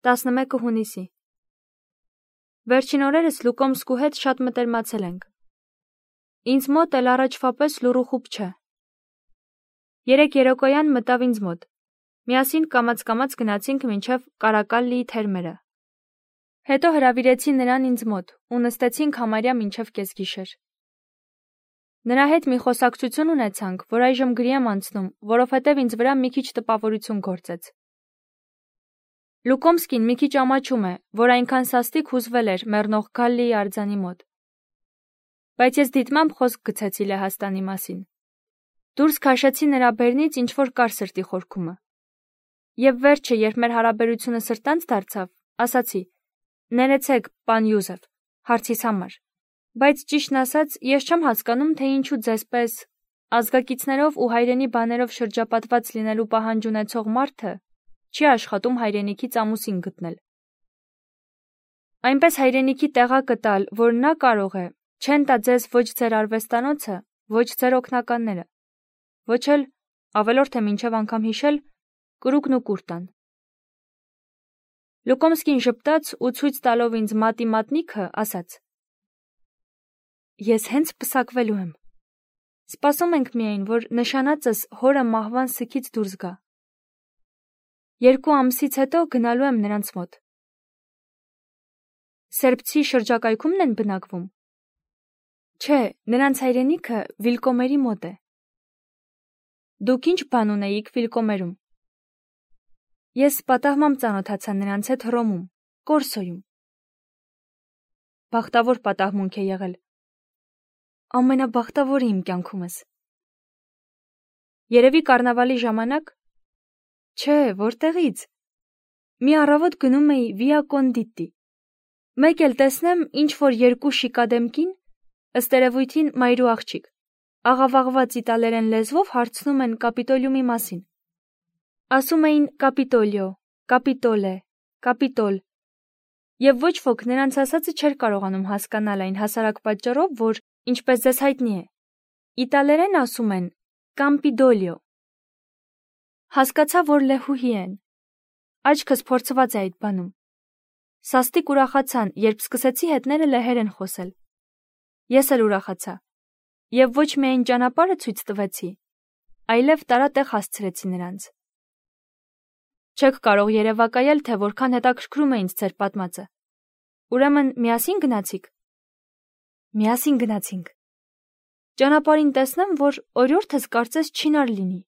11 հունիսի։ Վերջին օրերս Լուկոմսկու հետ շատ մտերմացել ենք։ Ինձ մոտ էլ առաջվա պես լուռու խուբ չէ։ Երեկ երեկոյան մտավ ինձ մոտ։ Միասին կամաց-կամաց գնացինք մինչև Կարակալլիի թերմերը։ Հետո հրավիրեցի նրան ինձ մոտ ու նստեցինք համարյա մինչև կեսգիշեր։ Նրա հետ մի խոսակցություն ունեցանք, որ այժմ գրի եմ անցնում, որովհետև ինձ վրա մի քիչ տպավորություն գործեց։ Լուկոմսկին մի քիչ ամաչում է, որ այնքան սաստիկ հուզվել էր մեռնող Գալլիի արձանի մոտ։ Բայց ես դիտմամբ խոսք գցեցի Լեհաստանի մասին։ Դուրս քաշեցի նրա բերնից ինչ-որ կար սրտի խորքումը։ Եվ վերջը, երբ մեր հարաբերությունը սրտանց դարձավ, ասացի. «Ներեցեք, պան Յուզեֆ, հարցիս համար, բայց ճիշտն ասած, ես չեմ հասկանում, թե ինչու ձեզ պես ազգակիցներով ու հայրենի բաներով շրջապատված լինելու պահանջ ունեցող մարդը չի աշխատում հայրենիքից ամուսին գտնել։ Այնպես հայրենիքի տեղակը տալ, որ նա կարող է, չեն տա ձեզ ոչ ձեր արվեստանոցը, ոչ ձեր օգնականները, ոչ էլ, ավելորդ է մինչև անգամ հիշել, կրուկն ու կուրտան»։ Լուկոմսկին ժպտաց ու ցույց տալով ինձ մատի մատնիքը, ասաց. «Ես հենց պսակվելու եմ։ Սպասում ենք միայն, որ նշանածս հորը մահվան սգից դուրս գա։ 2 ամսից հետո գնալու եմ նրանց մոտ»։ Սերբցի շրջակայքումն են բնակվում։ Չէ, նրանց հայրենիքը Վիլկոմերի մոտ է։ Դուք ինչ բան ունեիք Վիլկոմերում։ Ես պատահմամբ ծանոթացա նրանց հետ Հռոմում, Կորսոյում։ Բախտավոր պատահմունք է եղել։ Ամենաբախտավորը իմ կյանքումս։ Երևի կառնավալի ժամանակ։ Չէ, որտեղից։ Մի առավոտ գնում էի Վիա Կոնդիտի։ Մեկ էլ տեսնեմ, ինչ որ 2 շիկադեմ կին, ըստ երևույթին մայրու աղջիկ, աղավաղված իտալերեն լեզվով հարցնում են Կապիտոլիումի մասին։ Ասում էին Կապիտոլիո, Կապիտոլե, Կապիտոլ։ Եվ ոչ ոք նրանց ասածը չէր կարողանում հասկանալ այն հասարակ պատճառով, որ, ինչպես ձեզ հայտնի է, իտալերեն ասում են Կամպիդոլիո։ Հասկացա, որ լեհուհի են։ Աչքս փորձված է այդ բանում։ Սաստիկ ուրախացան, երբ սկսեցի հետները լեհերեն խոսել։ Ես էլ ուրախացա։ Եվ ոչ միայն ճանապարհը ցույց տվեցի, այլև տարատեղ հասցրեցի նրանց։ Չեք կարող երևակայել, թե որքան հետաքրքրում է ինձ ձեր պատմածը։ Ուրեմն միասին գնացիք։ Միասին գնացինք։ Ճանապարհին տեսնեմ, որ օրիորդս կարծես չինար լինի։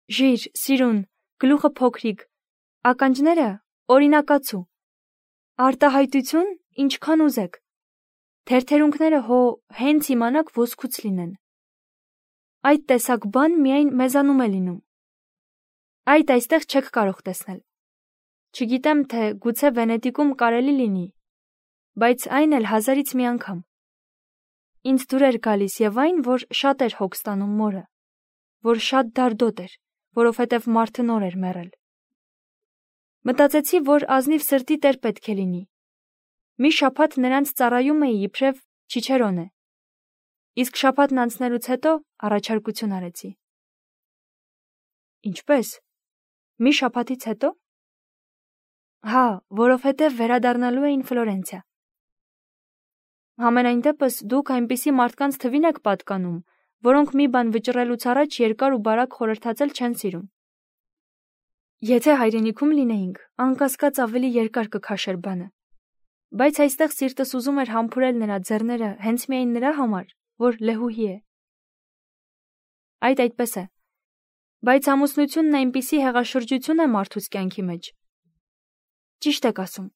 Ժիր, սիրուն, գլուխը փոքրիկ, ականջները օրինակացու։ Արտահայտություն, ինչքան ուզեք։ Թերթերունքները հո հենց իմանաք ոսկուց լինեն։ Այդ տեսակ բան միայն մեզանում է լինում։ Այդ այստեղ չեք կարող տեսնել։ Չգիտեմ, թե գուցե Վենետիկում կարելի լինի, բայց այն էլ 1000-ից մի անգամ։ Ինձ դուր էր գալիս եւ այն, որ շատ էր հոգ ստանում մորը, որ շատ դարդոտ էր, որովհետեւ մարդը նոր էր մեռել։ Մտածեցի, որ ազնիվ սրտի տեր պետք է լինի։ Մի շաբաթ նրանց ծառայում էի իբրև Չիչերոնե։ Իսկ շաբաթն անցնելուց հետո առաջարկություն արեցի։ Ինչպես։ Մի շաբաթից հետո։ Հա, որովհետև վերադառնալու էին Ֆլորենցիա։ Համենայն դեպս դուք այնպիսի մարդկանց թվին եք պատկանում, որոնք մի բան վճռելուց առաջ երկար ու բարակ խորհրդածել չեն սիրում։ Եթե հայրենիքում լինեինք, անկասկած ավելի երկար կքաշեր բանը։ Բայց այստեղ սիրտս ուզում էր համբուրել նրա ձեռները հենց միայն նրա համար, որ լեհուհի է։ Այդպես է։ Բայց ամուսնությունն այնպիսի հեղաշրջություն է մարդուց կյանքի մեջ։ Ճիշտ եք ասում։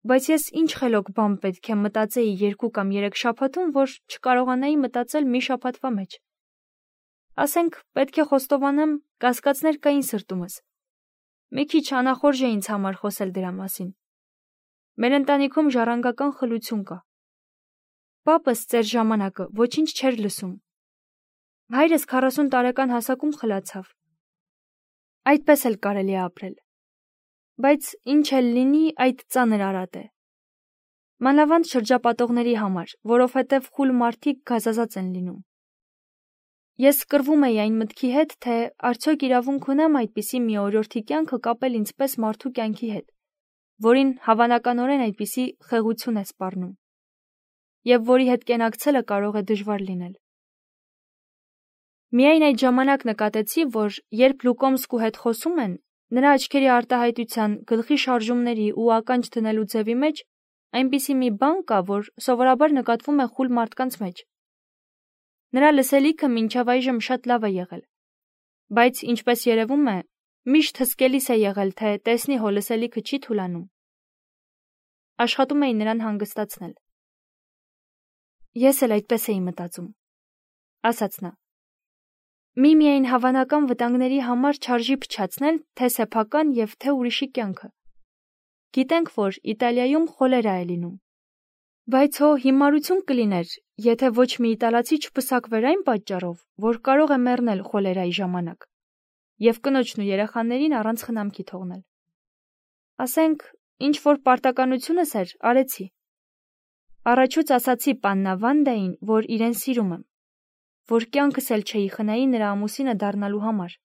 Բայց ես ինչ խելոք բան պետք է մտածեի 2 կամ 3 շաբաթում, որ չկարողանայի մտածել մի շաբաթվա մեջ։ Ասենք, պետք է խոստովանեմ, կասկածներ կային սրտումս։ Մի քիչ անախորժ է ինձ համար խոսել դրա մասին։ Մեր ընտանիքում ժառանգական խլություն կա։ Պապս ծեր ժամանակը ոչինչ չէր լսում։ Հայրս 40 տարեկան հասակում խլացավ։ Այդպես էլ կարելի է ապրել։ Բայց ինչ էլ լինի, այդ ծանր արատ է։ Մանավանդ շրջապատողների համար, որովհետև խուլ մարդիկ գազազած են լինում։ Ես կռվում էի այն մտքի հետ, թե արդյոք իրավունք ունեմ այդպիսի մի օրիորդի կյանքը կապել ինձպես մարդու կյանքի հետ։ որին հավանականորեն այդպիսի խեղություն է սպառնում, եւ որի հետ կենակցելը կարող է դժվար լինել։ Միայն այդ ժամանակ նկատեցի, որ երբ Լուկոմսկու հետ խոսում են, նրա աչքերի արտահայտության, գլխի շարժումների ու ականջ դնելու ձևի մեջ այնպիսի մի բան կա, որ սովորաբար նկատվում է խուլ մարդկանց մեջ։ Նրա լսելիքը մինչև այժմ շատ լավ է եղել, բայց ինչպես երևում է, միշտ հսկելիս է եղել, թե տեսնի հո լսելիքը չի թուլանում։ Աշխատում էի նրան հանգստացնել։ Ես էլ այդպես էի մտածում, ասաց նա։ Միայն հավանական վտանգների համար չարժի փչացնել թե սեփական եւ թե ուրիշի կյանքը։ Գիտենք, որ Իտալիայում խոլերա է լինում։ Բայց հո հիմարություն կլիներ, եթե ոչ մի իտալացի չպսակվեր այն պատճառով, որ կարող է մեռնել խոլերայի ժամանակ, եւ կնոջն ու երեխաներին առանց խնամքի թողնել։ Ասենք, ինչ որ պարտականությունս էր, արեցի։ Առաջուց ասացի պաննա Վանդային, որ իրեն սիրում եմ, որ կյանքս էլ չէի խնայի նրա ամուսինը դառնալու համար,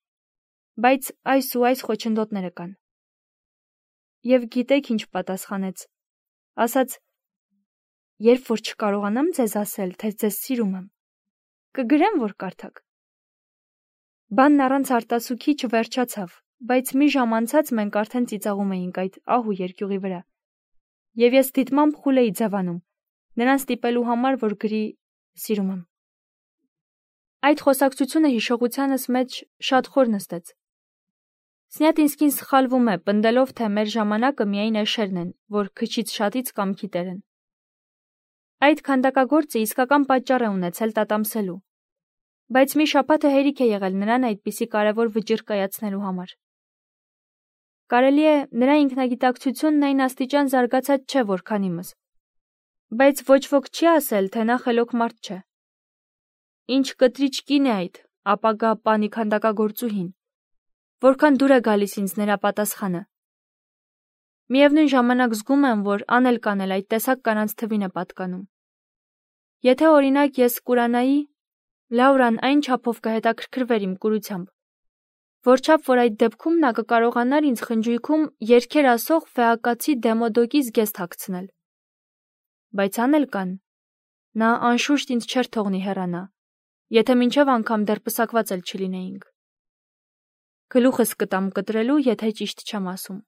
բայց այս ու այս խոչընդոտները կան։ Եվ գիտեք ինչ պատասխանեց։ Ասաց. երբ որ չկարողանամ ձեզ ասել, թե ձեզ սիրում եմ, կգրեմ, որ կարդաք։ Բանն առանց արտասուքի չվերջացավ, բայց մի ժամ անցած մենք արդեն ծիծաղում էինք այդ ահ ու երկյուղի վրա։ Եվ ես դիտմամբ խուլ էի ձևանում, նրան ստիպելու համար, որ գրի սիրում եմ։ Այդ խոսակցությունը հիշողությանս մեջ շատ խոր նստեց։ Սնյատինսկին սխալվում է, պնդելով, թե մեր ժամանակը միայն էշերն են, որ քչից շատից կամքի տեր են։ Այդ քանդակագործը իսկական պատճառ է ունեցել տատամսելու, բայց մի շաբաթը հերիք է եղել նրան այդպիսի կարևոր վճիռ կայացնելու համար։ Կարելի է նրա ինքնագիտակցությունն այն աստիճան զարգացած չէ, որքան իմս, բայց ոչ ոք չի ասել, թե նա խելոք մարդ չէ։ Ինչ կտրիչ կին է այդ, ապագա պանի քանդակագործուհին, որքան դուր է գալիս ինձ նրա պատասխանը։ Միևնույն ժամանակ զգում եմ, որ անել կանել այդ տեսակ կանանց թվին է պատկանում։ Եթե օրինակ ես կուրանայի, Լաուրան այն չափով կհետաքրքրվեր իմ կուրությամբ, որչափ որ այդ դեպքում նա կկարողանար ինձ խնջույքում երգեր ասող ֆեակացի դեմոդոկի զգեստ հագցնել։ Բայց անել կան, նա անշուշտ ինձ չէր թողնի հեռանա, եթե մինչև անգամ դեռ պսակված էլ չլինեինք։ Գլուխս կտամ կտրելու, եթե ճիշտ չեմ ասում։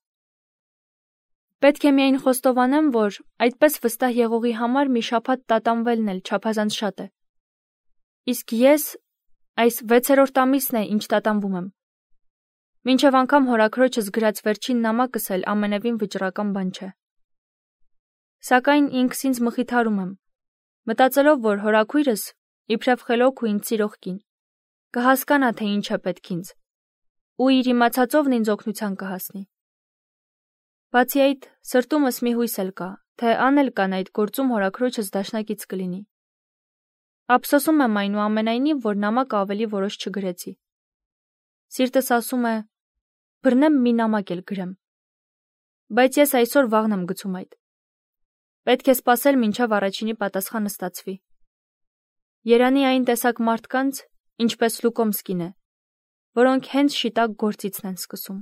Պետք է միայն խոստովանեմ, որ այդպես վստահ եղողի համար մի շաբաթ տատանվելն էլ չափազանց շատ է։ Իսկ ես այս 6-րդ ամիսն է, ինչ տատանվում եմ։ Մինչև անգամ հորաքրոջս գրած վերջին նամակս էլ ամենևին վճռական բան չէ։ Սակայն ինքս ինձ մխիթարում եմ, մտածելով, որ հորաքույրս, իբրև խելոք ու ինձ սիրող կին, կհասկանա, թե ինչ է պետք ինձ, ու իր իմացածովն ինձ օգնության կհասնի։ Բացի այդ, սրտումս մի հույս էլ կա, թե անել կան այդ գործում հորաքրոջս դաշնակից կլինի։ Ափսոսում եմ այնուամենայնիվ, որ նամակը ավելի որոշ չգրեցի։ Սիրտս ասում է. բռնեմ մի նամակ էլ գրեմ։ Բայց ես այսօր վաղն եմ գցում այդ։ Պետք է սպասել մինչև առաջինի պատասխանը ստացվի։ Երանի այն տեսակ մարդկանց, ինչպես Լուկոմսկին է, որոնք հենց շիտակ գործիցն են սկսում։